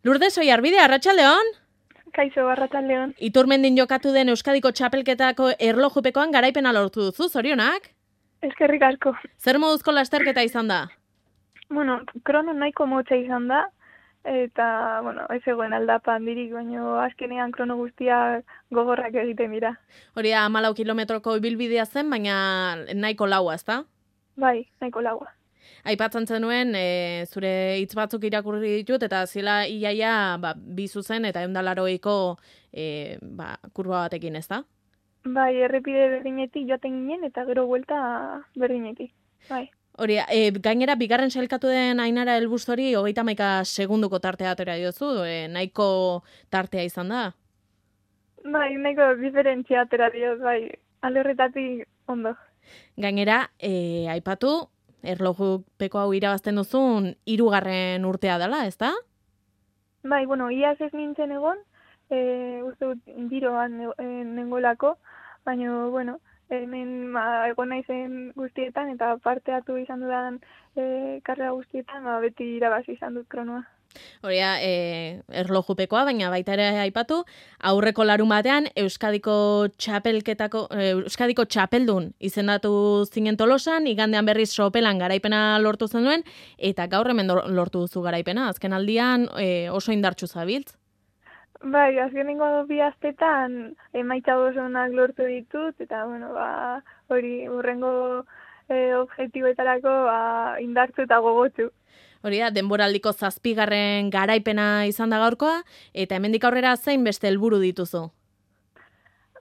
Lourdes Oiarbide, arratsaldeon. Kaixo, arratsaldeon. Iturmendin jokatu den Euskadiko txapelketako erlojupekoan garaipena lortu duzu, zorionak? Eskerrik asko. Zer moduzko lasterketa izan da? Bueno, krono nahiko motza izan da, eta, ez egoen aldapa handirik, baina azkenean krono guztiak gogorrak egiten dira. Hori da, 14 kilometroko ibilbidea zen, baina nahiko laua, ezta? Bai, nahiko laua. Aipatzen zenuen, zure hitz batzuk irakurri ditut, eta zela iaia bi zuzen eta 180ko kurba batekin, ezta? Bai, errepide berdinetik joaten ginen, eta gero buelta berdinetik. Bai. Hori, gainera, bigarren sailkatu den Ainara Elbustori 31 segunduko tartea atera diozu, nahiko tartea izan da? Bai, nahiko diferentzia atera diot, bai, alde horretatik ondo. Gainera, aipatu, erlojupeko hau irabazten duzun 3. urtea dela, ezta? Bai, iaz ez nintzen egon, uste dut giroan nengolako, baina, hemen egon naizen guztietan eta parte hartu izan dudan karrera guztietan, beti irabazi izan dut kronoa. Hori da, erlojupekoa, baina baita ere aipatu, aurreko larun batean Euskadiko txapeldun izendatu zinen Tolosan, igandean berriz sopelan garaipena lortu zenuen, eta gaur hemen lortu duzu garaipena, azken aldian oso indartsu zabiltz. Bai, azkenengo 2 astetan emaitza oso onak lortu ditut, eta, hori hurrengo objektiboetarako indartsu eta gogotsu. Hori da, denboraldiko 7. garaipena izan da gaurkoa, eta hemendik aurrera zein beste helburu dituzu?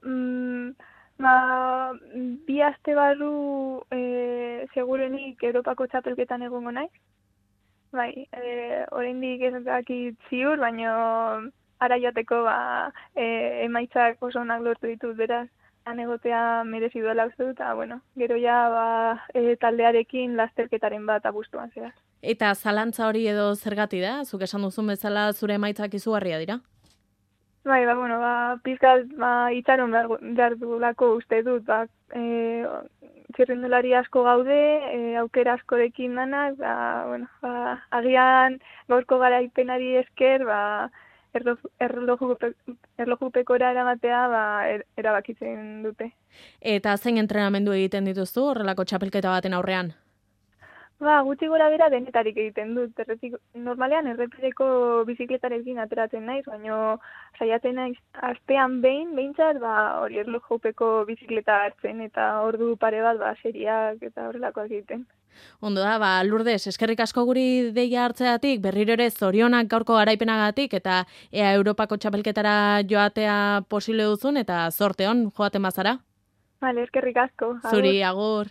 2 aste barru segurenik Europako txapelketan egongo naiz. Bai, oraindik ez dakit ziur, baina ara jateko emaitzak oso onak lortu ditut, beraz, han egotea merezi duela uste dut, eta, gero ja taldearekin lasterketaren bat abuztuan zehaz. Eta zalantza hori edo zergati da? Zuk esan duzun bezala zure emaitzak izugarria dira? Bai, pizkat itxaron behar duelako uste dut, txirrindulari asko gaude, aukera askorekin danak, agian gaurko garaipenari esker, erlojupekora eramatea erabakitzen dute. Eta zein entrenamendu egiten dituzu horrelako txapelketa baten aurrean? Gutxi gora bera denetarik egiten dut. Normalean errepideko bizikletarekin ateratzen naiz, baina saiatzen naiz astean behintzat, hori erlojupeko bizikleta hartzen, eta ordu pare bat seriak eta horrelakoak egiten. Ondo da, Lourdes, eskerrik asko guri deia hartzeatik, berriro ere zorionak gaurko garaipenagatik, eta ea Europako txapelketara joatea posible duzun, eta zorte hon joaten bazara. Vale, eskerrik asko. Zuri, agur.